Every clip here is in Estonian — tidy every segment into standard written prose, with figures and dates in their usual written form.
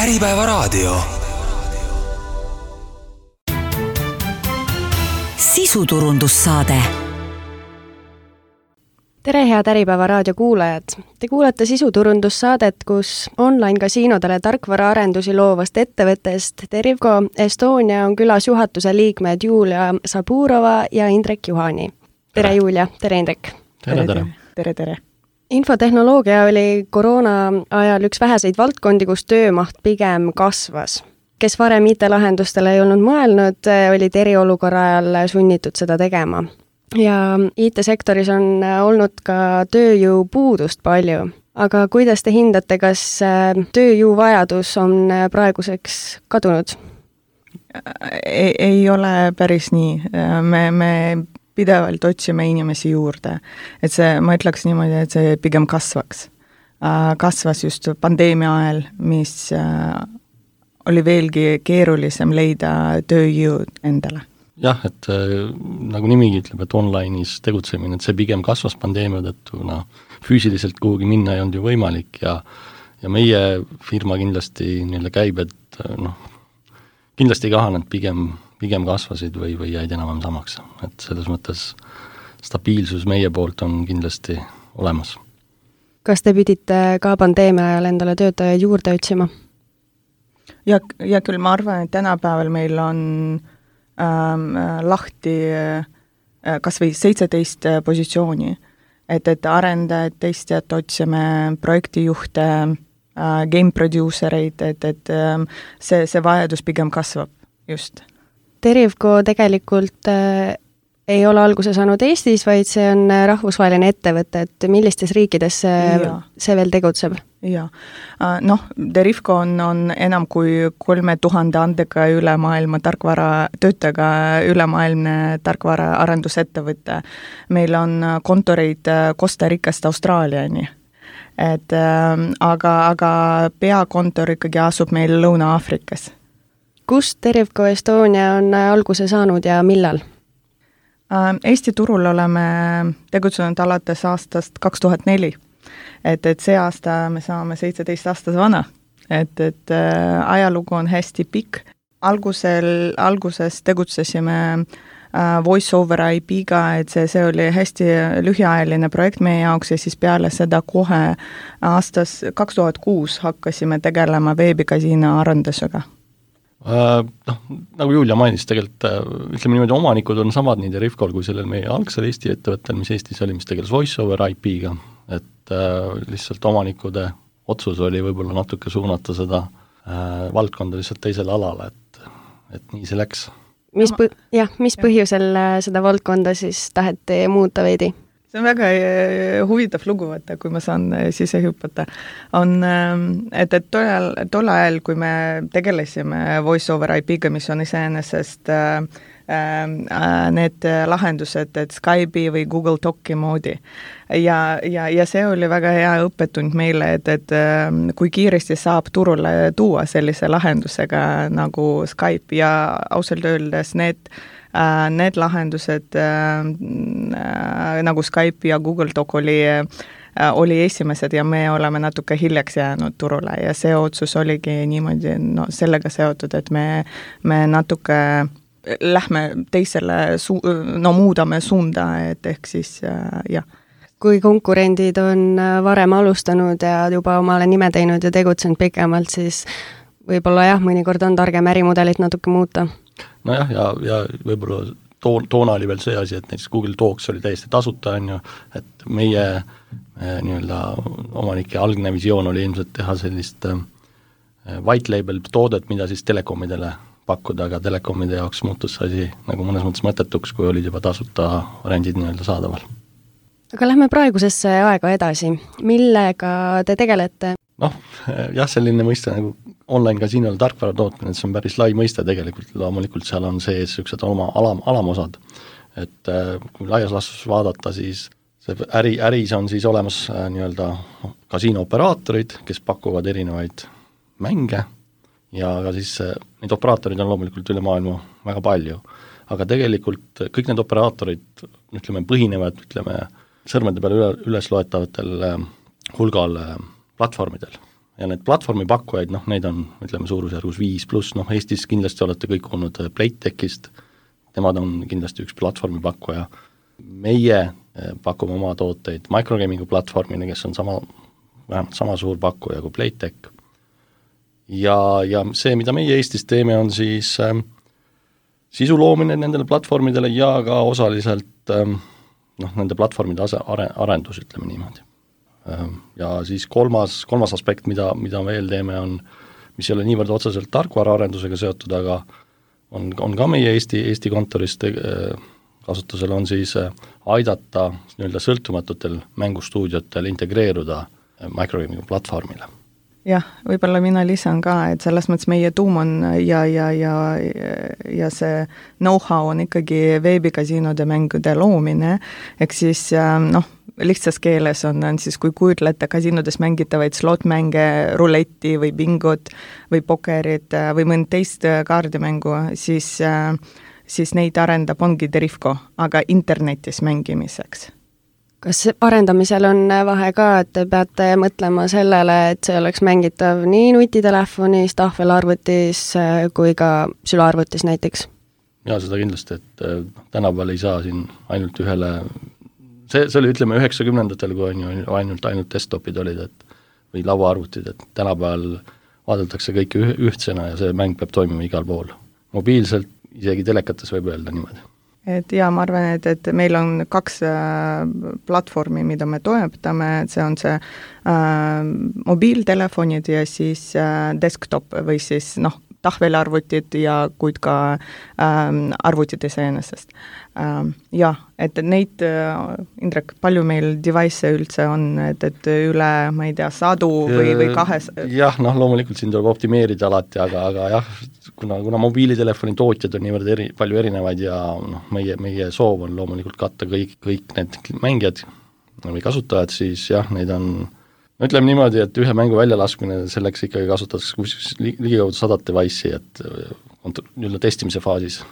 Äripäevaraadio. Sisuturundussaade. Tere, head Äripäevaraadio kuulajad! Te kuulete sisuturundussaadet, kus online-kasiinodele tarkvaraarendusi loovast ettevõttest Derivko Estonia on külas juhatuse liikmed Julia Saburova ja Indrek Juhani. Tere Julia, tere Indrek! Tere! Infotehnoloogia oli koroona ajal üks väheseid valdkondi, kus töömaht pigem kasvas. Kes varem IT-lahendustele ei olnud mõelnud, olid eriolukorra ajal sunnitud seda tegema. Ja IT-sektoris on olnud ka tööjõupuudust palju. Aga kuidas te hindate, kas tööjõuvajadus on praeguseks kadunud? Ei ole päris nii. Me pidevalt otsime inimesi juurde. Et see, ma ütleks niimoodi, et see pigem kasvaks. Kasvas just pandeemia ajal, mis oli veelgi keerulisem leida tööjõud endale. Jah, et nagu nimigi ütleb, et online'is tegutsemine, et see pigem kasvas pandeemia tõttu, füüsiliselt kuhugi minna ei olnud ju võimalik ja meie firma kindlasti käib, et kindlasti ei kahanenud, pigem kasvasid või jäid enam samaks. Et selles mõttes stabiilsus meie poolt on kindlasti olemas. Kas te pidite ka pandeemia ajal endale töötajaid juurde otsima? Ja küll ma arvan, et tänapäeval meil on lahti kas või 17 positsiooni, et arendajad, teistjad otsime projektijuhte, game producereid, et see vajadus pigem kasvab just. Derivko tegelikult ei ole alguse saanud Eestis, vaid see on rahvusvaheline ettevõte, et millistes riikides see veel tegutseb? Ja. Derivko on enam kui 3000 andega üle maailma töötaga ülemaailmne tarkvara arendusettevõte. Meil on kontoreid Costa Ricast Austraaliani. Aga peakontor ikkagi asub meil Lõuna-Aafrikas. Kust Derivko Estonia on alguse saanud ja millal? Eesti turul oleme tegutsenud alates aastast 2004. Et see aasta me saame 17 aastas vana. Et ajalugu on hästi pikk. Alguses tegutsesime Voice over IP-ga, et see oli hästi lühiajaline projekt meie jaoks ja siis peale seda kohe aastas 2006 hakkasime tegelema veebikasiino arendusega. Nagu Julia mainis, tegelikult ütleme niimoodi, omanikud on samad nii Derivkol kui sellel meie algsel Eesti ettevõttel, mis Eestis oli, mis tegeles Voice over IP-ga, et lihtsalt omanikude otsus oli võib-olla natuke suunata seda valdkonda lihtsalt teisele alale, et nii see läks. Mis põhjusel seda valdkonda siis taheti muuta veidi? See on väga huvitav lugu, kui ma saan sisse hüpata. Et tol ajal, kui me tegelesime Voice over IP-ga, mis on iseenesest need lahendused, et Skype'i või Google Doci moodi. Ja see oli väga hea õppetund meile, et kui kiiresti saab turule tuua sellise lahendusega nagu Skype ja ausalt öeldes need lahendused nagu Skype ja Google Doc oli esimesed ja me oleme natuke hiljaks jäänud turule ja see otsus oligi niimoodi sellega seotud, et me natuke lähme teisele, muudame suunda, et ehk siis jah. Kui konkurendid on varem alustanud ja juba omale nime teinud ja tegutsenud pikemalt, siis võib-olla mõnikord on targem ärimudelit natuke muuta. Nojah, ja võib-olla toona oli veel see asi, et näiteks Google Docs oli täiesti tasuta, et meie omanike algne visioon oli ilmselt teha sellist white label toodet, mida siis telekomidele pakkuda, aga telekomide jaoks muutus asi nagu mõnes mõttes mõttetuks, kui olid juba tasuta variandid saadaval. Aga lähme praegusesse aega edasi. Millega te tegelete? Selline mõiste nagu online-kasiinol tarkvara tootmine, see on päris lai mõiste tegelikult, loomulikult seal on sees niisugused oma alamosad. Et kui laias laastus vaadata, siis see äris on siis olemas kasiinooperaatorid, kes pakuvad erinevaid mänge ja ka siis neid operaatorid on loomulikult üle maailma väga palju. Aga tegelikult kõik need operaatorid põhinevad sõrmede peale üles loetavatel hulgal platvormidel. ja need platvormipakkujaid, noh, neid on, ütleme, suurusjärgus 5+, noh, Eestis kindlasti olete kõik olnud Playtechist, nemad on kindlasti üks platvormipakkuja. Meie pakume oma tooteid microgaming'u platvormile, kes on vähemalt sama suur pakkuja kui Playtech. Ja see, mida meie Eestis teeme, on siis sisu loomine nendele platvormidele ja ka osaliselt nende platvormide arendus, ütleme niimoodi. Ja siis kolmas aspekt, mida veel teeme, on, mis ei ole niivõrd otseselt tarkvaraarendusega seotud, aga on ka meie Eesti kontorist kasutusel, on siis aidata nii-öelda sõltumatutel mängustuudiotel integreeruda microgaming'u platvormile. Jah, võib-olla mina lisan ka, et selles mõttes meie tuum on ja see know-how on ikkagi veebikasiinode mängude loomine, ehk siis lihtsas keeles on siis, kui kujutlete kasiinodes mängitavaid slot-mänge, ruletti või bingot või pokerit või mõnd teist kaardimängu, siis neid arendab ongi Derivko, aga internetis mängimiseks. Kas arendamisel on vahe ka, et te peate mõtlema sellele, et see oleks mängitav nii nutitelefonis, tahvelarvutis kui ka sülearvutis näiteks? Jaa, seda kindlasti, et tänapäeval ei saa siin ainult ühele, see oli, ütleme, 90-ndatel, kui on ju ainult desktopid olid, või lauaarvutid, et tänapäeval vaadeldakse kõike ühtsena ja see mäng peab toimima igal pool. Mobiilselt, isegi telekates võib öelda niimoodi. Et ja ma arvan, et meil on 2 platvormi, mida me toetame, see on see mobiiltelefonid ja siis desktop või siis tahvelarvutid ja kuid ka arvutid iseenesest. Jah, et neid, Indrek, palju meil device üldse on, et üle, ma ei tea, 100 või 200? Jah, loomulikult siin tuleb optimeerida alati, aga jah, kuna mobiilitelefoni tootjad on niivõrd palju erinevaid ja meie soov on loomulikult katta kõik need mängijad või kasutajad, siis jah, neid on, ütleme niimoodi, et ühe mängu väljalaskmine selleks ikkagi kasutatakse ligikaudu 100 device'i, et nii-öelda testimise faasis.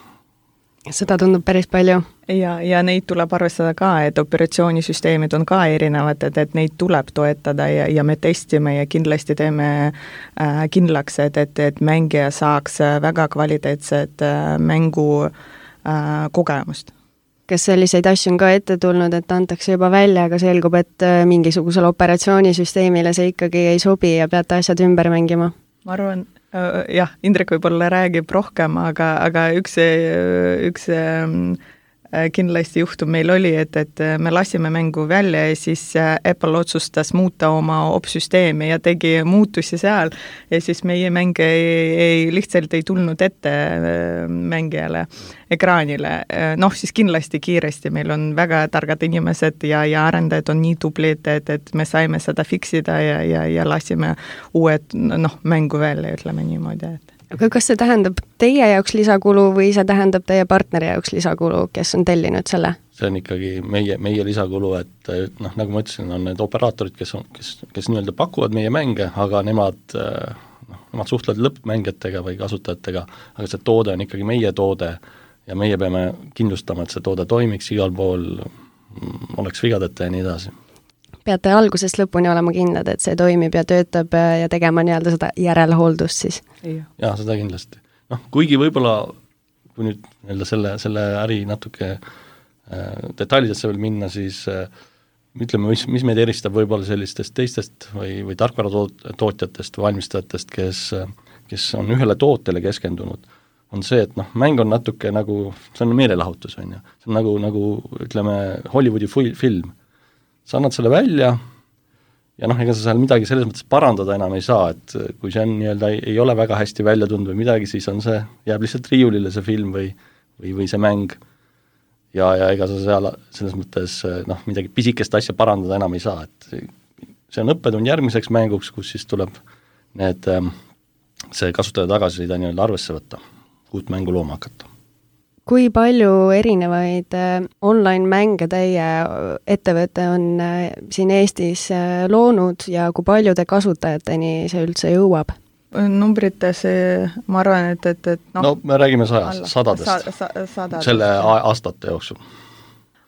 Seda tundub päris palju. Ja neid tuleb arvestada ka, et operatsioonisüsteemid on ka erinevad, et neid tuleb toetada ja me testime ja kindlasti teeme kindlaks, et mängija saaks väga kvaliteetset mängu kogemust. Kas selliseid asju on ka ette tulnud, et antakse juba välja, aga selgub, et mingisugusele operatsioonisüsteemile see ikkagi ei sobi ja peate asjad ümber mängima? Ma arvan, jah, Indrek võib-olla räägib rohkem, aga üks kindlasti juhtum meil oli, et me lasime mängu välja ja siis Apple otsustas muuta oma opsüsteemi ja tegi muutusi seal ja siis meie mäng lihtsalt ei tulnud ette mängijale ekraanile. Siis kindlasti kiiresti, meil on väga targad inimesed ja arendajad on nii tublid, et me saime seda fiksida ja lasime uued mängu välja, ütleme niimoodi, et aga kas see tähendab teie jaoks lisakulu või see tähendab teie partneri jaoks lisakulu, kes on tellinud selle? See on ikkagi meie lisakulu, et nagu ma ütlesin, on need operaatorid, kes nii-öelda pakuvad meie mänge, aga nemad suhtlevad lõppmängijatega või kasutajatega, aga see toode on ikkagi meie toode ja meie peame kindlustama, et see toode toimiks igal pool, oleks vigadeta ja nii edasi. Peate algusest lõpuni olema kindlad, et see toimib ja töötab ja tegema nii-öelda seda järelhooldust siis? Jaa, seda kindlasti. Kuigi võib-olla, kui nüüd selle äri natuke detailidesse veel minna, siis ütleme, mis meid eristab võib-olla sellistest teistest või tarkvaratootjatest, valmistajatest, kes on ühele tootele keskendunud, on see, et mäng on natuke nagu, see on meelelahutus, on ju. See on nagu ütleme, Hollywoodi film. Sa annad selle välja ja ega sa seal midagi selles mõttes parandada enam ei saa, et kui see on nii-öelda ei ole väga hästi välja tundnud või midagi, siis on see, jääb lihtsalt riiulile see film või see mäng ja ega sa seal selles mõttes midagi pisikest asja parandada enam ei saa, et see on õppetund järgmiseks mänguks, kus siis tuleb see kasutaja tagasisida nii-öelda arvesse võtta, uut mängu looma hakata. Kui palju erinevaid online-mänge teie ettevõte on siin Eestis loonud ja kui paljude kasutajateni see üldse jõuab? Numbrites ma arvan, et me räägime sadadest selle aastate jooksul.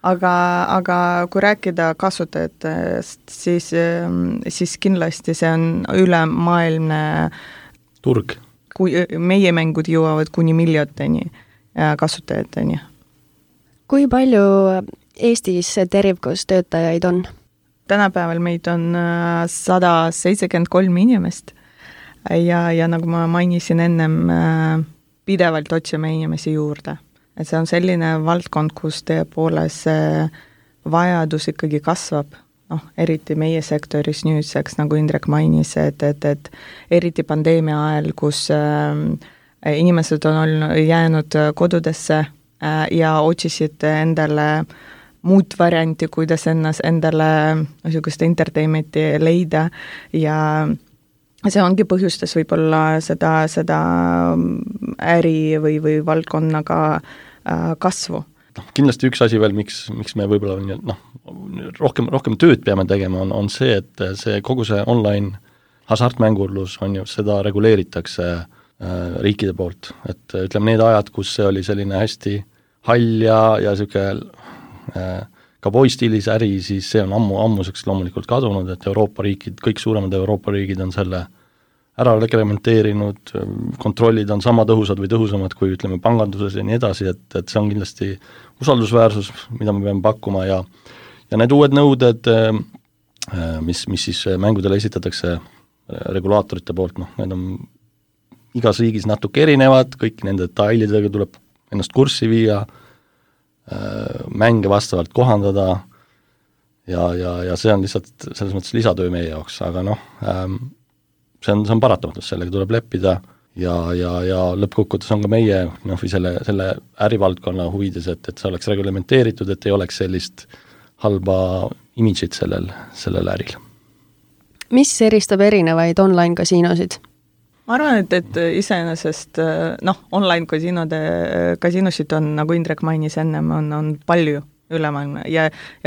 aga kui rääkida kasutajatest, siis kindlasti see on ülemaailmne turg. Kui meie mängud jõuavad kuni miljoniteni kasutajateni. Kui palju Eestis Derivcos töötajaid on? Tänapäeval meid on 173 inimest ja nagu ma mainisin ennem, pidevalt otsime inimesi juurde. Et see on selline valdkond, kus tõepoolest vajadus ikkagi kasvab, eriti meie sektoris nüüdseks, nagu Indrek mainis, et eriti pandeemia ajal, kus inimesed on jäänud kodudesse ja otsisid endale muud varianti, kuidas endale niisugust entertainmenti leida ja see ongi põhjustas võib-olla seda äri või valdkonnaga kasvu. Kindlasti üks asi veel, miks me võib-olla rohkem tööd peame tegema, on see, et kogu see online hasartmängurlus on ju, seda reguleeritakse riikide poolt. Et ütleme, need ajad, kus see oli selline hästi hall ja niisugune cowboy-stiilis äri, siis see on ammuseks loomulikult kadunud, et Euroopa riigid, kõik suuremad Euroopa riigid on selle ära reglementeerinud, kontrollid on sama tõhusad või tõhusamad kui ütleme panganduses ja nii edasi, et see on kindlasti usaldusväärsus, mida me peame pakkuma ja need uued nõuded, mis siis mängudele esitatakse regulaatorite poolt, need on igas riigis natuke erinevad, kõik nende detailidega tuleb ennast kurssi viia, mänge vastavalt kohandada ja see on lihtsalt selles mõttes lisatöö meie jaoks, aga see on paratamatus, sellega tuleb leppida ja lõppkokkuvõttes on ka meie või selle ärivaldkonna huvides, et see oleks reglementeeritud, et ei oleks sellist halba imidžit sellel äril. Mis eristab erinevaid online-kasiinosid? Ma arvan, et iseenesest online kasiinosid on, nagu Indrek mainis ennem, on palju ülemaailmne ja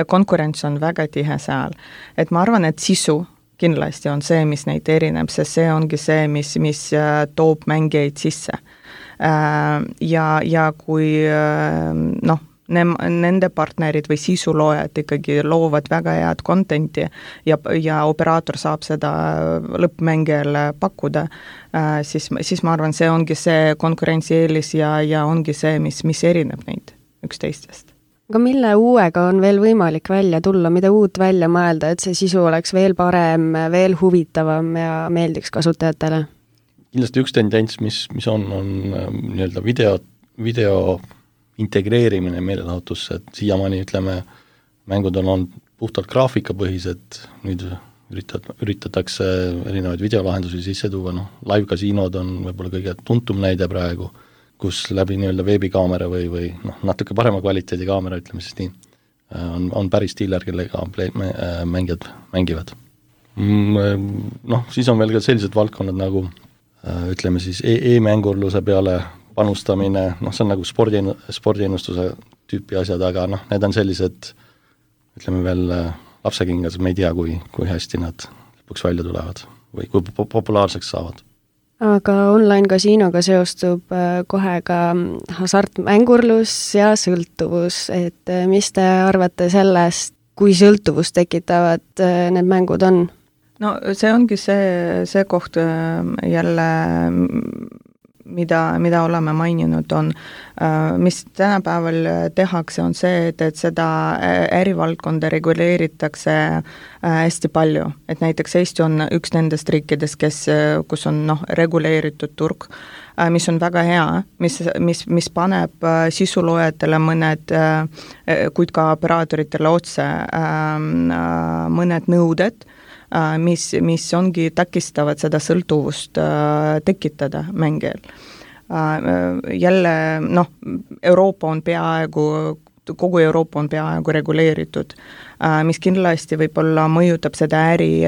konkurents on väga tihe seal. Et ma arvan, et sisu kindlasti on see, mis neid erineb, sest see ongi see, mis toob mängijaid sisse. Ja kui nende partnerid või sisuloojad ikkagi loovad väga head contenti ja operaator saab seda lõppmängijale pakkuda, siis ma arvan, see ongi see konkurentsieelis ja ongi see, mis erineb neid üksteistest. Aga mille uuega on veel võimalik välja tulla, mida uut välja mõelda, et see sisu oleks veel parem, veel huvitavam ja meeldiks kasutajatele? Kindlasti üks tendents, mis on nii-öelda video integreerimine meelelahutusse, et siiamaani ütleme, mängud on olnud puhtalt graafikapõhised, nüüd üritatakse erinevaid videolahendusi sisse tuua, live-kasiinod on võib-olla kõige tuntum näide praegu, kus läbi nii-öelda veebikaamera või natuke parema kvaliteedi kaamera, ütleme siis nii, on päris dealer, kellega mängijad mängivad. Siis on veel ka sellised valdkonnad nagu ütleme siis e-mängurluse peale panustamine, see on nagu spordiennustuse tüüpi asjad, aga need on sellised, ütleme veel lapsekingas, me ei tea, kui hästi nad lõpuks välja tulevad või kui populaarseks saavad. Aga online-kasiinoga seostub kohe ka hasartmängurlus ja sõltuvus, et mis te arvate sellest, kui sõltuvust tekitavad need mängud on? No see ongi see koht jälle, mida oleme maininud, on, mis tänapäeval tehakse, on see, et seda ärivaldkonda reguleeritakse hästi palju. Et näiteks Eesti on üks nendest riikidest, kus on reguleeritud turg, mis on väga hea, mis paneb sisuloojatele mõned, kuid ka operaatoritele otse mõned nõuded, mis ongi takistavad seda sõltuvust tekitada mängijal. Jälle, Euroopa on kogu Euroopa on peaaegu reguleeritud, mis kindlasti võib-olla mõjutab seda äri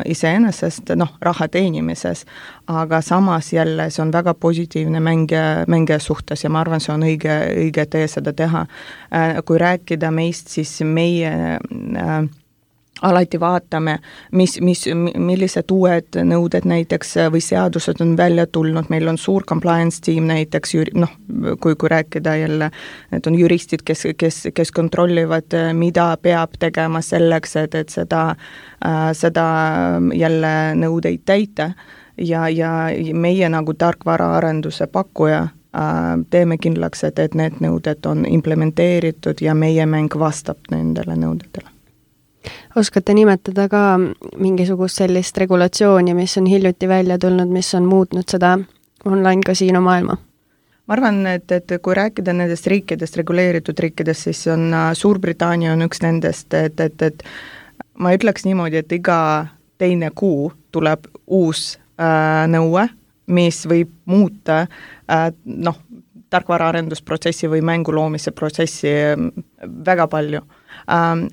iseenesest, raha teenimises, aga samas jälle see on väga positiivne mängija suhtes ja ma arvan, see on õige tee seda teha. Kui rääkida meist, siis meie alati vaatame, millised uued nõuded näiteks või seadused on välja tulnud, meil on suur compliance team näiteks, kui rääkida jälle, need on juristid, kes kontrollivad, mida peab tegema selleks, et seda jälle nõudeid täita ja meie nagu tarkvaraarenduse pakkuja teeme kindlaks, et need nõuded on implementeeritud ja meie mäng vastab nendele nõudetele. Oskate nimetada ka mingisugust sellist regulatsiooni, mis on hiljuti välja tulnud, mis on muutnud seda online-kasiino maailma? Ma arvan, et kui rääkida nendest riikidest, reguleeritud riikidest, siis on Suurbritannia on üks nendest, et ma ütleks niimoodi, et iga teine kuu tuleb uus nõue, mis võib muuta tarkvaraarendusprotsessi või mängu loomise protsessi väga palju.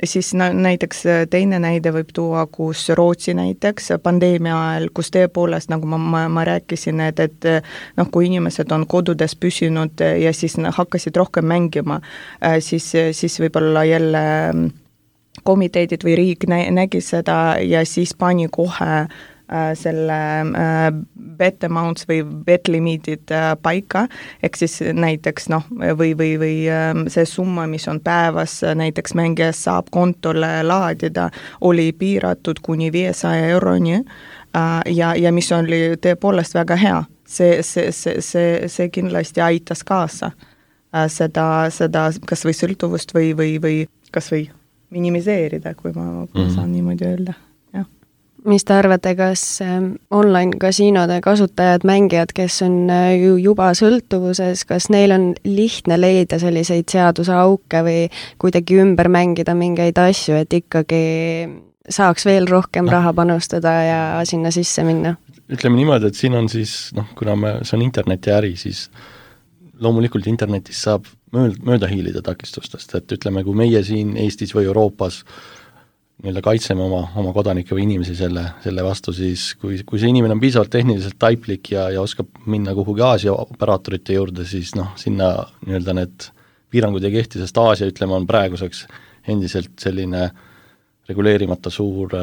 Siis näiteks teine näide võib tuua, kus Rootsi näiteks pandeemia ajal, kus tõepoolest, nagu ma rääkisin, et kui inimesed on kodudes püsinud ja siis hakkasid rohkem mängima, siis võib-olla jälle komiteedid või riik nägi seda ja siis pani kohe selle bet amounts või bet limiidid paika, ehk siis näiteks või see summa, mis on päevas näiteks mängijas saab kontole laadida, oli piiratud kuni 500 euroni ja mis oli tõepoolest väga hea. See kindlasti aitas kaasa seda kas või sõltuvust või kas või minimiseerida, kui ma saan niimoodi öelda. Mis te arvate, kas online-kasiinode kasutajad, mängijad, kes on juba sõltuvuses, kas neil on lihtne leida selliseid seaduseauke või kuidagi ümber mängida mingeid asju, et ikkagi saaks veel rohkem raha panustada ja sinna sisse minna? Ütleme niimoodi, et siin on siis, kuna see on internetiäri, siis loomulikult internetis saab mööda hiilida takistustest, et ütleme, kui meie siin Eestis või Euroopas kaitseme oma kodanikke või inimesi selle vastu, siis kui see inimene on piisavalt tehniliselt taiplik ja oskab minna kuhugi Aasia operaatorite juurde, siis sinna need piirangud ei kehti, sest Aasia, ütleme, on praeguseks endiselt selline reguleerimata suur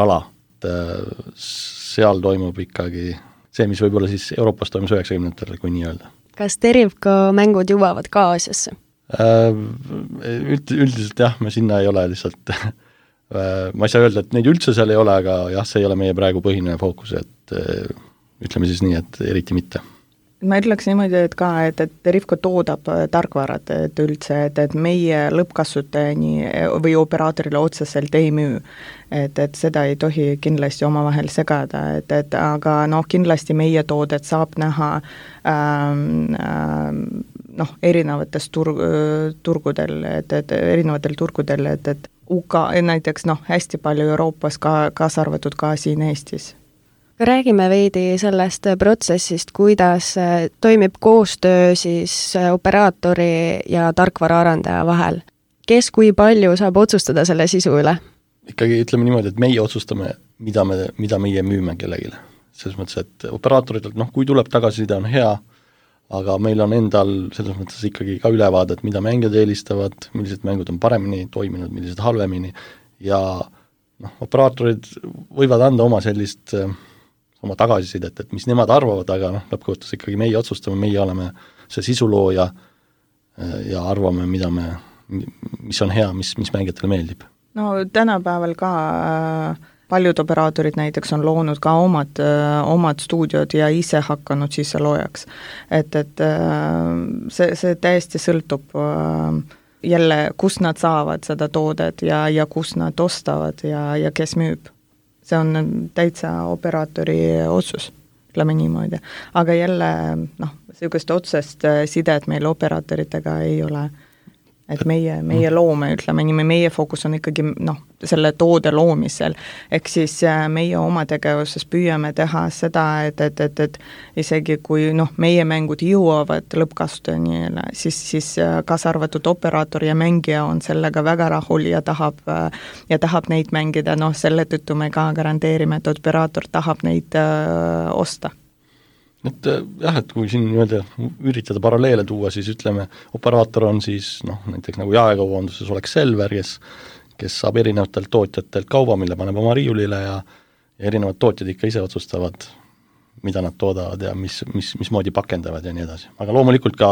ala. Seal toimub ikkagi see, mis võib-olla siis Euroopas toimus 90-ndatel, kui nii öelda. Kas Derivko mängud jõuavad ka Aasiasse? Üldiselt jah, me sinna ei ole lihtsalt ma ei saa öelda, et neid üldse seal ei ole, aga jah, see ei ole meie praegu põhiline fookus, et ütleme siis nii, et eriti mitte. Ma ütleks niimoodi, et Derivko toodab tarkvarad, et üldse, et meie lõppkasutajani või operaatorile otseselt ei müü. Et seda ei tohi kindlasti omavahel segada, aga kindlasti meie toodet saab näha erinevates turgudel, erinevatel turgudel, et UK näiteks hästi palju Euroopas kaasa arvatud ka siin Eestis. Räägime veidi sellest protsessist, kuidas toimib koostöö siis operaatori ja tarkvaraarendaja vahel. Kes kui palju saab otsustada selle sisu üle? Ikkagi ütleme niimoodi, et meie otsustame, mida meie müüme kellegile. Selles mõttes, et operaatoritelt, kui tuleb tagasiside, on hea, aga meil on endal selles mõttes ikkagi ka ülevaadet, mida mängijad eelistavad, millised mängud on paremini toiminud, millised halvemini ja operaatorid võivad anda oma sellist oma tagasisidet, et mis nemad arvavad, aga lõppkohtus ikkagi meie otsustame, meie oleme see sisulooja ja arvame, mis on hea, mis mängijatele meeldib. Tänapäeval ka paljud operaatorid näiteks on loonud ka omad stuudiod ja ise hakanud sisse loojaks. Et see täiesti sõltub jälle, kus nad saavad seda toodet ja kus nad ostavad ja kes müüb. See on täitsa operaatori otsus, ütleme niimoodi. Aga jälle, sellist otsest sidet meil operaatoritega ei ole. Et meie loome, ütleme nii, meie fookus on ikkagi selle toode loomisel, ehk siis meie oma tegevuses püüame teha seda, et isegi kui meie mängud jõuavad lõppkasutajani, siis kaasa arvatud operaator ja mängija on sellega väga rahul ja tahab neid mängida, selle tõttu me ka garanteerime, et operaator tahab neid osta. Et jah, et kui siin üritada paralleele tuua, siis ütleme, operaator on siis näiteks nagu jaekaubanduses oleks Selver, kes saab erinevatelt tootjatelt kauba, mille paneb oma riiulile ja erinevad tootjad ikka ise otsustavad, mida nad toodavad ja mismoodi pakendavad ja nii edasi. Aga loomulikult ka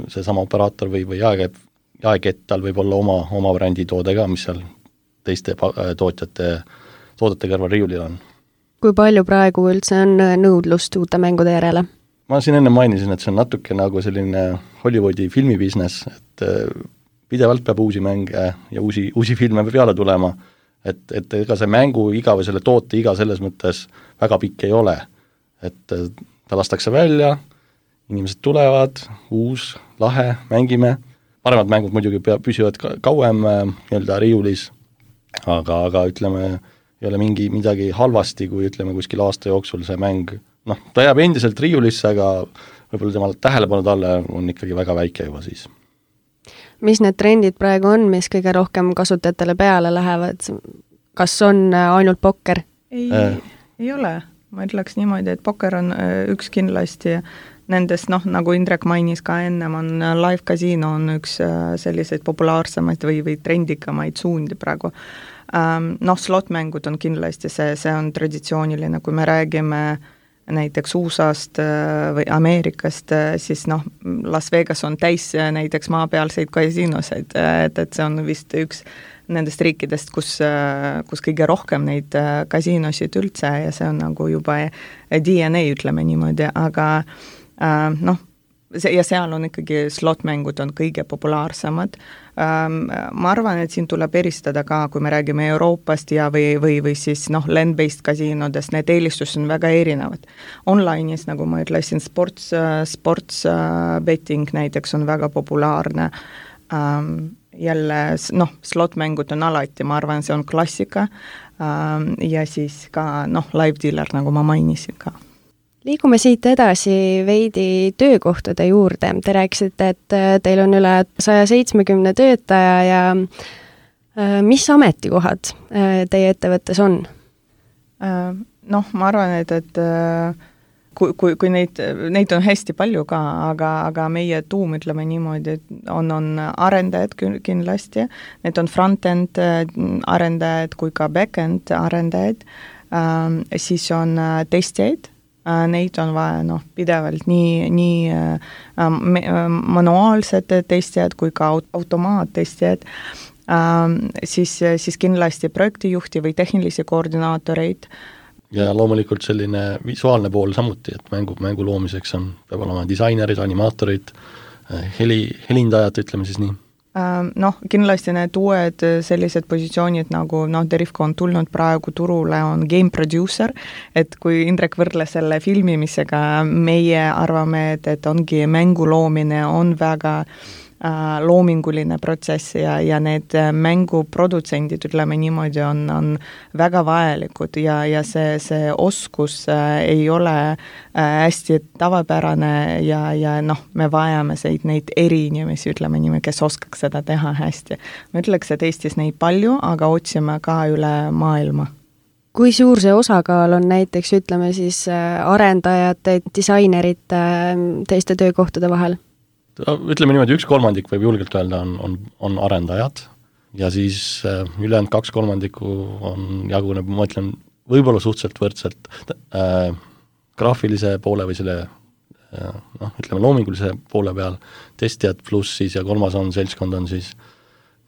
seesama operaator või jaekett, tal võib olla oma brändi toode ka, mis seal teiste toodete kõrval riiulil on. Kui palju praegu üldse on nõudlust uute mängude järele? Ma siin enne mainisin, et see on natuke nagu selline Hollywoodi filmibusiness, et pidevalt peab uusi mänge ja uusi filme peale tulema, et ega see mängu iga või selle toote iga selles mõttes väga pikk ei ole. Et ta lastakse välja, inimesed tulevad, uus, lahe, mängime, paremad mängud muidugi püsivad kauem nii-öelda riiulis, aga ütleme, ei ole midagi halvasti, kui ütleme kuskil aasta jooksul see mäng, ta jääb endiselt riiulisse, aga võib-olla temal tähelepanu talle on ikkagi väga väike juba siis. Mis need trendid praegu on, mis kõige rohkem kasutajatele peale lähevad? Kas on ainult pokker? Ei ole. Ma ütleks niimoodi, et pokker on üks kindlasti nendest, nagu Indrek mainis ka ennem, on live casino on üks selliseid populaarsemaid või trendikamaid suundi praegu. Slotmängud on kindlasti see on traditsiooniline, kui me räägime näiteks USA-st või Ameerikast, siis Las Vegas on täis näiteks maapealseid kasiinoseid, et see on vist üks nendest riikidest, kus kõige rohkem neid kasiinosid üldse ja see on nagu juba DNA, ütleme niimoodi, aga ja seal on ikkagi slotmängud on kõige populaarsemad. Ma arvan, et siin tuleb eristada ka, kui me räägime Euroopast ja või siis land-based kasiinodest, need eelistused on väga erinevad. Online'is, nagu ma ütlesin, sports betting näiteks on väga populaarne. Jälle, slotmängud on alati, ma arvan, see on klassika ja siis ka live dealer, nagu ma mainisin ka. Liigume siit edasi veidi töökohtade juurde. Te rääkisite, et teil on üle 170 töötaja ja mis ametikohad teie ettevõttes on? Ma arvan, et kui neid on hästi palju ka, aga meie tuum, ütleme niimoodi, et on arendajad kindlasti, need on front-end arendajad kui ka back-end arendajad, siis on testijaid, neid on vaja pidevalt nii manuaalsed testijad kui ka automaattestijad, siis kindlasti projektijuhti või tehnilisi koordinaatoreid. Ja loomulikult selline visuaalne pool samuti, et mängu loomiseks peab olema disainerid, animaatorid, helindajad, ütleme siis nii. Kindlasti need uued sellised positsioonid nagu Derifco on tulnud praegu turule, on game producer, et kui Indrek võrdles selle filmimisega, meie arvame, et ongi mängu loomine on väga loominguline protsess ja need mänguprodutsendid, ütleme niimoodi, on väga vajalikud ja see oskus ei ole hästi tavapärane ja me vajame neid eriinimesi, ütleme niimoodi, kes oskaks seda teha hästi. Ma ütleks, et Eestis neid palju, aga otsime ka üle maailma. Kui suur see osakaal on näiteks, ütleme siis arendajate, disainerite, teiste töökohtade vahel? Ütleme niimoodi, 1/3 võib julgelt öelda on arendajad ja siis ülejäänud 2/3 jaguneb, ma ütlen, võib-olla suhteliselt võrdselt graafilise poole või selle ütleme loomingulise poole peal testijad pluss siis ja 3. seltskond on siis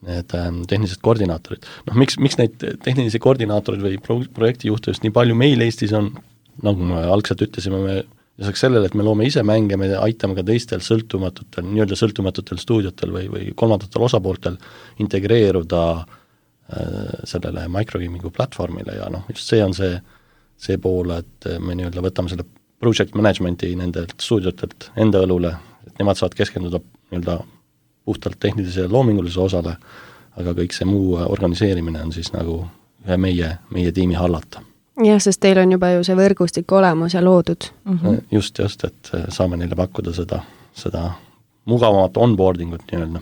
need tehnilised koordinaatorid. Miks neid tehnilisi koordinaatorid või projektijuhte just nii palju meil Eestis on, nagu me algselt ütlesime, me lisaks sellele, et me loome ise mänge, me aitame ka teistel sõltumatutel stuudiotel või kolmandatel osapooltel integreeruda sellele microgamingu platvormile ja just see on see pool, et me võtame selle project managementi nendelt stuudiotelt enda õlule, et nemad saavad keskenduda puhtalt tehnilise ja loomingulise osale, aga kõik see muu organiseerimine on siis nagu ühe meie tiimi hallata. Jah, sest teil on juba ju see võrgustik olemas ja loodud. Just, et saame neile pakkuda seda mugavamat onboardingut nii-öelda.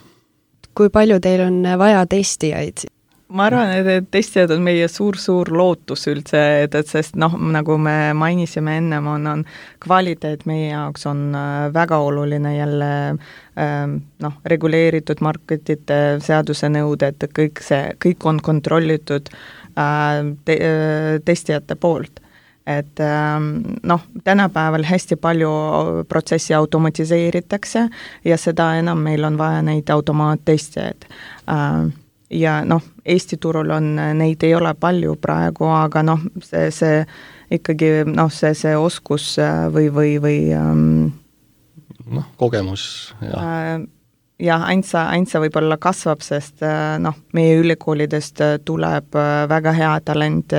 Kui palju teil on vaja testijaid? ma arvan, et testijad on meie suur lootus üldse, et sest nagu me mainisime ennem, on kvaliteet meie jaoks on väga oluline jälle reguleeritud marketite seaduse nõuded, kõik on kontrollitud testijate poolt. Et tänapäeval hästi palju protsessi automatiseeritakse ja seda enam meil on vaja neid automaattestijaid. Ja Eesti turul on, neid ei ole palju praegu, aga see ikkagi, see oskus või kogemus ja ainsa võib-olla kasvab, sest meie ülikoolidest tuleb väga hea talent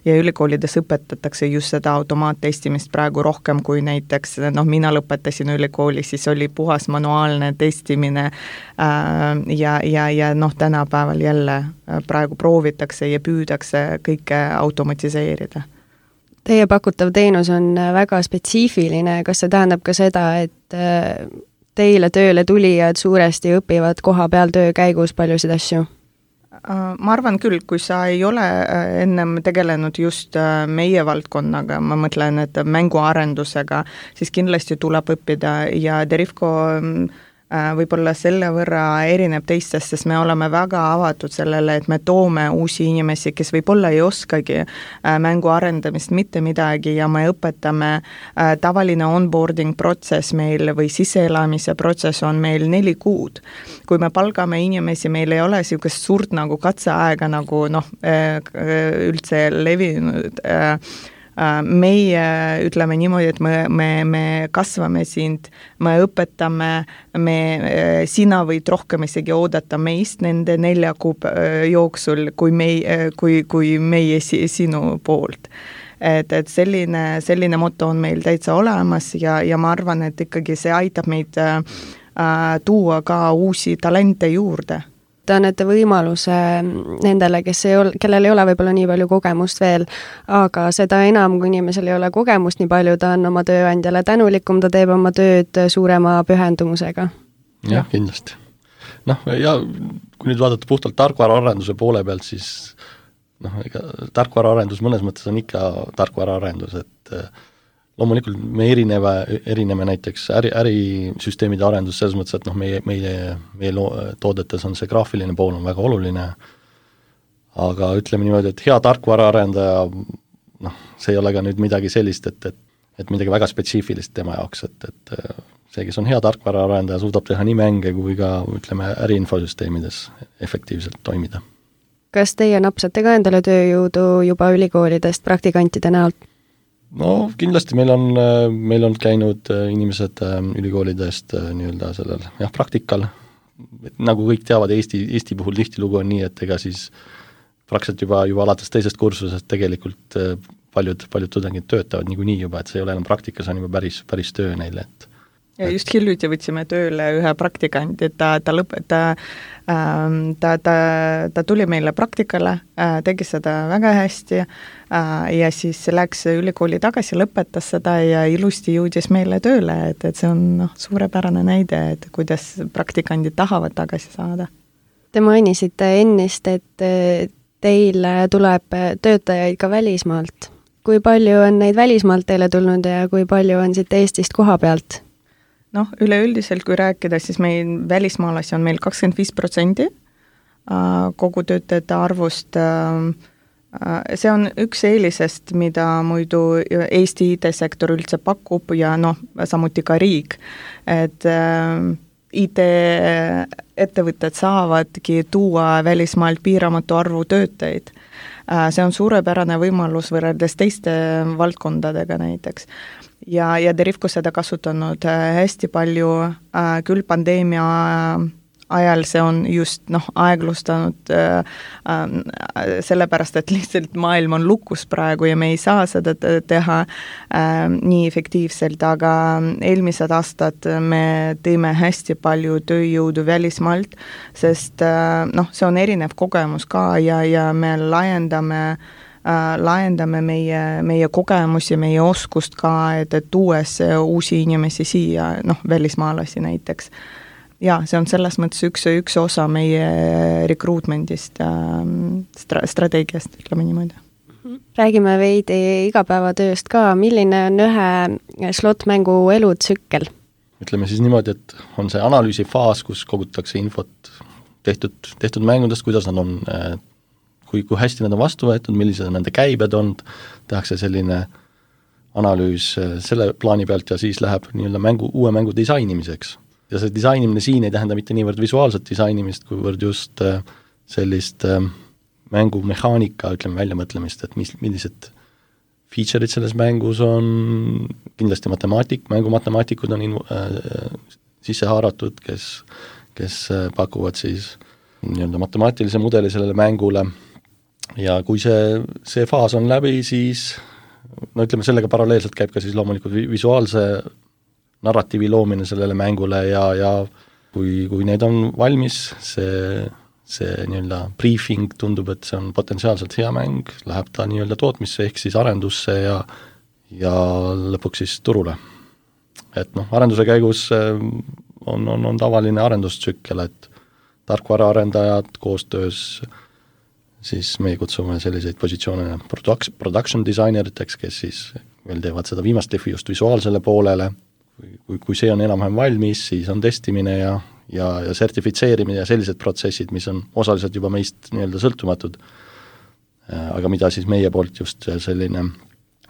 ja ülikoolides õpetatakse just seda automaattestimist praegu rohkem kui näiteks, mina lõpetasin ülikooli, siis oli puhas manuaalne testimine ja tänapäeval jälle praegu proovitakse ja püüdakse kõike automatiseerida. Teie pakutav teenus on väga spetsiifiline, kas see tähendab ka seda, et teile tööle tulijad suuresti õpivad koha peal töö käigus paljusid asju? Ma arvan küll, kui sa ei ole ennem tegelenud just meie valdkonnaga, ma mõtlen, et mänguarendusega, siis kindlasti tuleb õppida ja Derivko võib-olla selle võrra erineb teistest, sest me oleme väga avatud sellele, et me toome uusi inimesi, kes võib-olla ei oskagi mängu arendamist mitte midagi ja me õpetame, tavaline onboarding protsess meil või sisseelamise protsess on meil 4 kuud. Kui me palgame inimesi, meil ei ole niisugust suurt nagu katseaega nagu üldse levinud. Meie ütleme niimoodi, et me kasvame sind, me õpetame, sina võid rohkem isegi oodata meist nende 4 kuu jooksul kui meie sinu poolt. Et selline moto on meil täitsa olemas ja ma arvan, et ikkagi see aitab meid tuua ka uusi talente juurde. Te annete võimaluse nendele, kellel ei ole võib-olla nii palju kogemust veel, aga seda enam, kui inimesel ei ole kogemust nii palju, ta on oma tööandjale tänulikum, ta teeb oma tööd suurema pühendumusega. Jah, kindlasti. Ja kui nüüd vaadata puhtalt tarkvaraarenduse poole pealt, siis tarkvaraarendus mõnes mõttes on ikka tarkvaraarendus, et loomulikult me erineme näiteks ärisüsteemide arendus selles mõttes, et meie toodetes on see graafiline pool on väga oluline, aga ütleme niimoodi, et hea tarkvaraarendaja, see ei ole ka nüüd midagi sellist, et midagi väga spetsiifilist tema jaoks, et see, kes on hea tarkvaraarendaja, suudab teha nii mänge kui ka, ütleme, äriinfosüsteemides efektiivselt toimida. Kas teie napsate ka endale tööjõudu juba ülikoolidest praktikantide näolt? Kindlasti meil on käinud inimesed ülikoolidest nii-öelda sellel praktikal, nagu kõik teavad, Eesti puhul tihtilugu on nii, et ega siis praktiliselt juba alates teisest kursusest tegelikult paljud tudengid töötavad niikuinii juba, et see ei ole enam praktika, see on juba päris töö neile, et ja just hiljuti võtsime tööle ühe praktikanti, ta tuli meile praktikale, tegi seda väga hästi ja siis läks ülikooli tagasi, lõpetas seda ja ilusti jõudis meile tööle, et see on suurepärane näide, et kuidas praktikandid tahavad tagasi saada. Te mainisite ennist, et teile tuleb töötajaid ka välismaalt. Kui palju on neid välismaalt teile tulnud ja kui palju on siit Eestist koha pealt? Üleüldiselt, kui rääkida, siis meil välismaalasi on meil 25% kogu töötajate arvust. See on üks eelisest, mida muidu Eesti IT-sektor üldse pakub ja samuti ka riik, et IT-ettevõtted saavadki tuua välismaalt piiramatu arvu töötajaid. See on suurepärane võimalus võrreldes teiste valdkondadega näiteks. Ja Derivko seda kasutanud hästi palju, küll pandeemia ajal see on just aeglustanud sellepärast, et lihtsalt maailm on lukus praegu ja me ei saa seda teha nii efektiivselt, aga eelmised aastad me teeme hästi palju tööjõudu välismaalt, sest see on erinev kogemus ka ja me laiendame meie kogemusi, meie oskust ka, et tuues uusi inimesi siia, välismaalasi näiteks. ja see on selles mõttes üks osa meie recruitmentist, strateegiast, ütleme niimoodi. Räägime veidi igapäevatööst ka, milline on ühe slot-mängu elutsükkel? Ütleme siis niimoodi, et on see analüüsifaas, kus kogutakse infot tehtud mängudest, kuidas nad on, kui hästi nad on vastu võetud, millised nende käibed on, tehakse selline analüüs selle plaani pealt ja siis läheb nii-öelda uue mängu disainimiseks. Ja see disainimine siin ei tähenda mitte niivõrd visuaalset disainimist, kuivõrd just sellist mängumehaanika, ütleme, väljamõtlemist, et millised feature'id selles mängus on, kindlasti mängumatemaatikud on sisse haaratud, kes pakuvad siis nii-öelda matemaatilise mudeli sellele mängule ja kui see faas on läbi, siis no ütleme, sellega paralleelselt käib ka siis loomulikult visuaalse narratiivi loomine sellele mängule ja kui need on valmis, see nii-öelda briefing tundub, et see on potentsiaalselt hea mäng, läheb ta nii-öelda tootmisse ehk siis arendusse ja lõpuks siis turule. Et arenduse käigus on tavaline arendustsükkel, et tarkvaraarendajad koostöös, siis meie kutsume selliseid positsioone production designeriteks, kes siis veel teevad seda viimast defi just visuaalsele poolele, kui see on enam-vähem valmis, siis on testimine ja sertifitseerimine ja sellised protsessid, mis on osaliselt juba meist nii-öelda sõltumatud, aga mida siis meie poolt just selline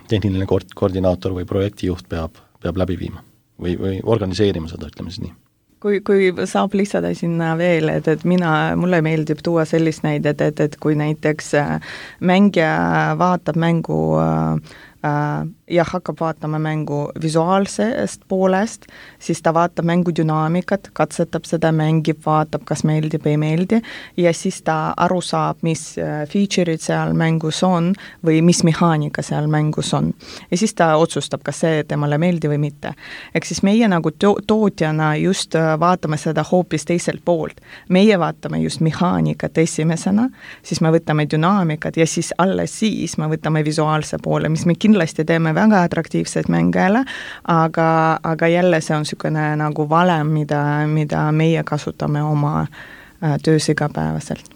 tehniline koordinaator või projektijuht peab läbi viima või organiseerima seda, ütleme siis nii. Kui saab lisada sinna veel, et mulle meeldib tuua sellist näidet, et kui näiteks mängija vaatab mängu ja hakkab vaatama mängu visuaalsest poolest, siis ta vaatab mängu dünaamikat, katsetab seda, mängib, vaatab, kas meeldib, ei meeldi, ja siis ta aru saab, mis feature'id seal mängus on või mis mehaanika seal mängus on. Ja siis ta otsustab, kas see temale meeldi või mitte. Ehk siis meie nagu tootjana just vaatame seda hoopis teiselt poolt. Meie vaatame just mehaanikat esimesena, siis me võtame dünaamikat ja siis alles siis me võtame visuaalse poole, mis me kindlasti teeme väga atraktiivseid mängele, aga jälle see on niisugune nagu valem, mida meie kasutame oma töös igapäevaselt.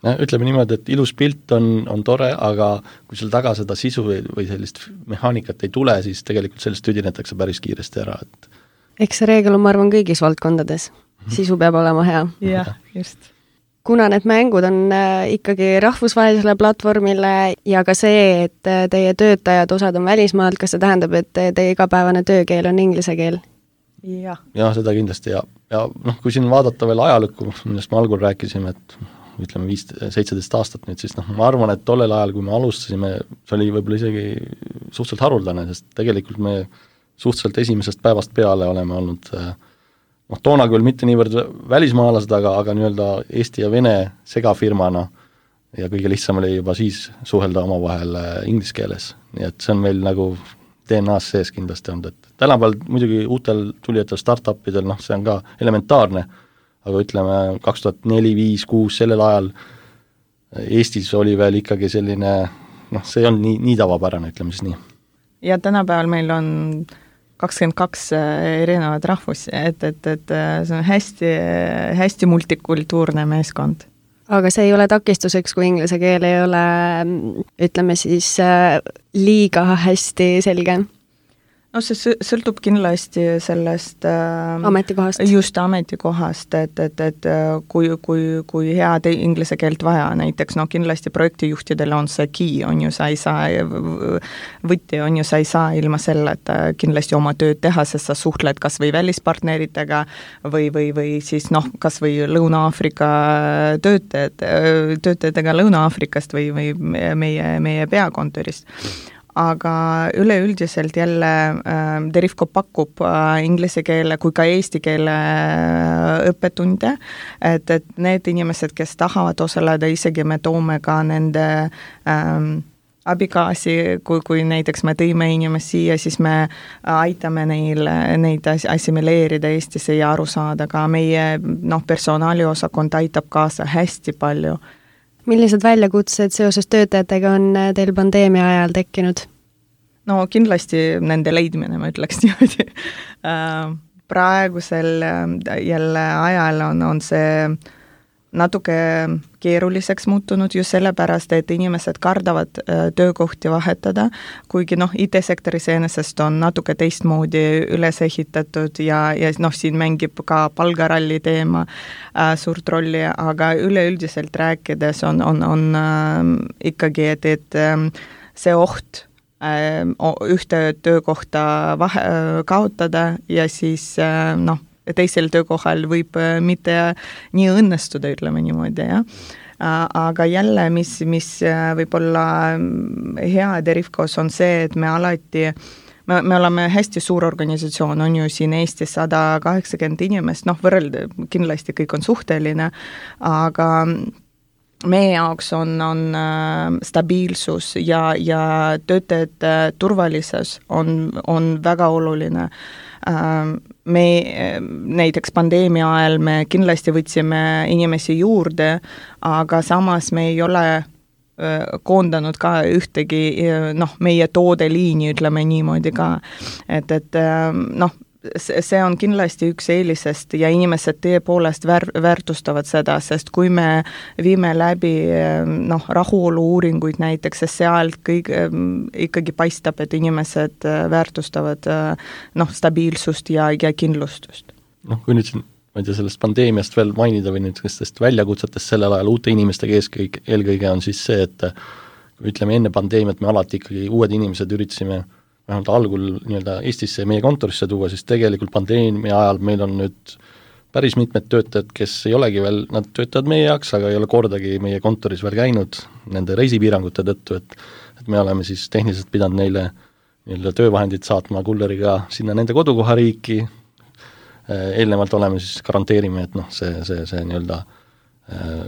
Ütleme niimoodi, et ilus pilt on tore, aga kui seal taga seda sisu või sellist mehaanikat ei tule, siis tegelikult sellest tüdinetakse päris kiiresti ära. Eks see reegel on, ma arvan, kõigis valdkondades. Sisu peab olema hea. Jah, just. Kuna need mängud on ikkagi rahvusvahelisele platvormile ja ka see, et teie töötajad osad on välismaalt, kas see tähendab, et teie igapäevane töökeel on inglise keel? Jah, seda kindlasti ja kui siin vaadata veel ajalukku, millest me algul rääkisime, et ütleme 17 aastat nüüd, siis ma arvan, et tollel ajal, kui me alustasime, see oli võib-olla isegi suhteliselt haruldane, sest tegelikult me suhteliselt esimesest päevast peale oleme olnud toona küll mitte niivõrd välismaalased, aga nii-öelda Eesti ja Vene segafirmana ja kõige lihtsam oli juba siis suhelda omavahel inglise keeles. Nii et see on meil nagu DNA-s sees kindlasti olnud, et tänapäeval muidugi uutel tulijatel startupidel, see on ka elementaarne, aga ütleme 2004, 5, 6 sellel ajal Eestis oli veel ikkagi selline, see ei olnud nii tavapärane, ütleme siis nii. Ja tänapäeval meil on 22 erinevad rahvusi, et see on hästi multikultuurne meeskond. Aga see ei ole takistuseks, kui inglise keel ei ole, ütleme siis, liiga hästi selge? No see sõltub kindlasti sellest ametikohast. Just ametikohast, et kui head inglise keelt vaja, näiteks kindlasti projektijuhtidele on see key, on ju, sa ei saa võtti, on ju, sa ei saa ilma selle, et kindlasti oma tööd teha, sest sa suhtled kas või välispartneritega või siis kas või Lõuna-Aafrika töötajatega Lõuna-Aafrikast või meie peakontorist. Aga üleüldiselt jälle Derifco pakub inglise keele kui ka eesti keele õppetunde, et need inimesed, kes tahavad osaleda, isegi me toome ka nende abikaasi, kui näiteks me tõime inimesi siia, siis me aitame neid assimileerida Eestisse ja aru saada, ka meie personaaliosakond aitab kaasa hästi palju. Millised väljakutsed seoses töötajatega on teil pandeemia ajal tekkinud? No kindlasti nende leidmine, ma ütleks niimoodi. praegusel jälle ajal on see natuke keeruliseks muutunud just sellepärast, et inimesed kardavad töökohti vahetada, kuigi IT-sektoris enesest on natuke teistmoodi üles ehitatud ja siin mängib ka palgaralli teema suurt rolli, aga üleüldiselt rääkides on ikkagi, et see oht ühte töökohta kaotada ja siis teisel töökohal võib mitte nii õnnestuda, ütleme niimoodi, jah. Aga jälle, mis võib olla hea Derivcos on see, et me alati, me oleme hästi suur organisatsioon, on ju siin Eestis 180 inimest, võrrelda kindlasti kõik on suhteline, aga meie jaoks on stabiilsus ja töötajate turvalisus on väga oluline. Me näiteks pandeemia ajal me kindlasti võtsime inimesi juurde, aga samas me ei ole koondanud ka ühtegi meie toodeliini, ütleme niimoodi ka, et see on kindlasti üks eelisest ja inimesed tõepoolest väärtustavad seda, sest kui me viime läbi rahulolu-uuringuid näiteks, sest seal kõik ikkagi paistab, et inimesed väärtustavad stabiilsust ja kindlustust. Kui nüüd siin, ma ei tea, sellest pandeemiast veel mainida või nüüd nendest väljakutsetest sellel ajal uute inimestega eelkõige on siis see, et kui ütleme enne pandeemiat me alati ikkagi uued inimesed üritasime vähemalt algul nii-öelda Eestisse ja meie kontorisse tuua, siis tegelikult pandeemia ajal meil on nüüd päris mitmed töötajad, kes ei olegi veel, nad töötavad meie jaoks, aga ei ole kordagi meie kontoris veel käinud nende reisipiirangute tõttu, et me oleme siis tehniliselt pidanud neile nii-öelda töövahendid saatma kulleriga sinna nende kodukohariiki, eelnevalt oleme siis garanteerime, et see nii-öelda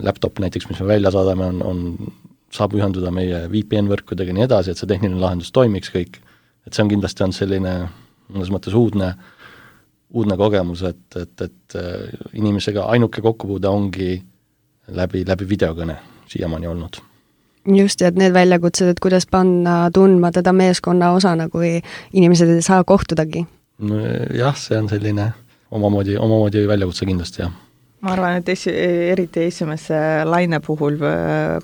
laptop näiteks, mis me välja saadame, saab ühenduda meie VPN-võrkudega ja nii edasi, et see tehniline lahendus toimiks kõik. Et see on kindlasti selline mõnes mõttes uudne kogemus, et inimesega ainuke kokkupuude ongi läbi videokõne siiamaani olnud. Just, et need väljakutsed, et kuidas panna tundma teda meeskonna osana, kui inimesed ei saa kohtudagi. Jah, see on selline omamoodi väljakutse kindlasti, jah. Ma arvan, et eriti esimese laine puhul,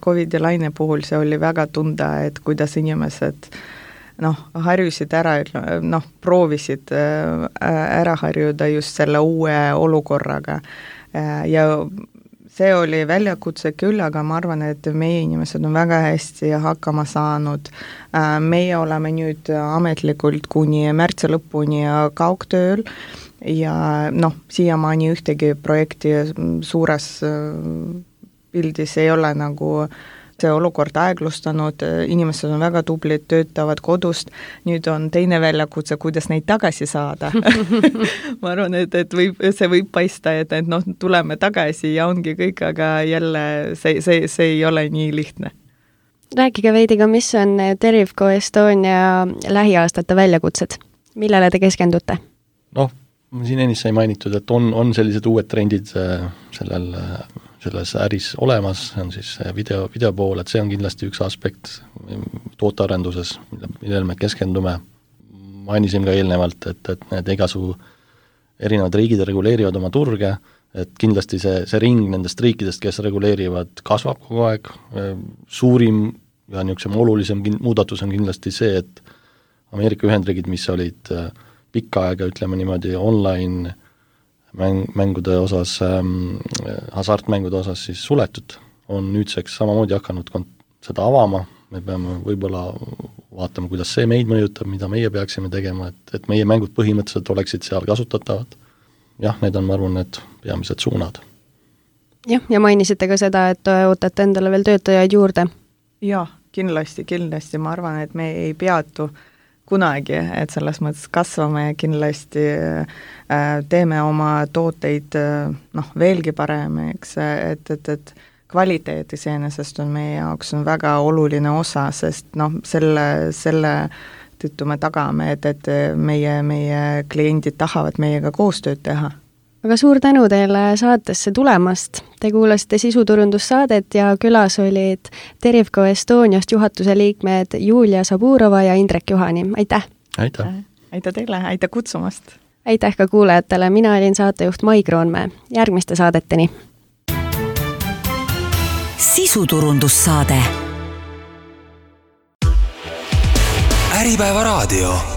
COVID-i laine puhul see oli väga tunda, et kuidas inimesed harjusid ära, proovisid ära harjuda just selle uue olukorraga. Ja see oli väljakutse küll, aga ma arvan, et meie inimesed on väga hästi hakkama saanud. Meie oleme nüüd ametlikult kuni märtsi lõpuni kaugtööl ja siiamaani ühtegi projekti suures pildis ei ole see olukord aeglustanud, inimesed on väga tublid, töötavad kodust, nüüd on teine väljakutse, kuidas neid tagasi saada. Ma arvan, et see võib paista, et tuleme tagasi ja ongi kõik, aga jälle see ei ole nii lihtne. Rääkige veidi ka, mis on Derivco Estonia lähiaastate väljakutsed? Millele te keskendute? Siin ennist sai mainitud, et on sellised uued trendid selles äris olemas, see on siis video pool, et see on kindlasti üks aspekt tootearenduses, millele me keskendume. Mainisin ka eelnevalt, et need igasugu erinevad riigid reguleerivad oma turge, et kindlasti see ring nendest riikidest, kes reguleerivad, kasvab kogu aeg. Suurim ja niisugune olulisem muudatus on kindlasti see, et Ameerika Ühendriigid, mis olid pikka aega, ütleme niimoodi, online mängude osas, hasartmängude osas siis suletud, on nüüdseks samamoodi hakanud seda avama, me peame võib-olla vaatama, kuidas see meid mõjutab, mida meie peaksime tegema, et meie mängud põhimõtteliselt oleksid seal kasutatavad. Jah, need on, ma arvan, need peamised suunad. Jah, ja mainisite ka seda, et ootate endale veel töötajaid juurde. Jah, kindlasti, ma arvan, et me ei peatu kunagi, et selles mõttes kasvame ja kindlasti teeme oma tooteid veelgi paremaks, et kvaliteet iseenesest on meie jaoks on väga oluline osa, sest selle tõttu me tagame, et meie kliendid tahavad meiega koostööd teha. Aga suur tänu teile saatesse tulemast. Te kuulasite sisuturundussaadet ja külas olid Derivco Estoniast juhatuse liikmed Julia Saburova ja Indrek Juhani. Aitäh! Aitäh! Aitäh teile, aitäh kutsumast! aitäh ka kuulajatele, mina olin saatejuht Mai Kroonmäe. Järgmiste saadeteni. Sisuturundussaade. Äripäeva raadio.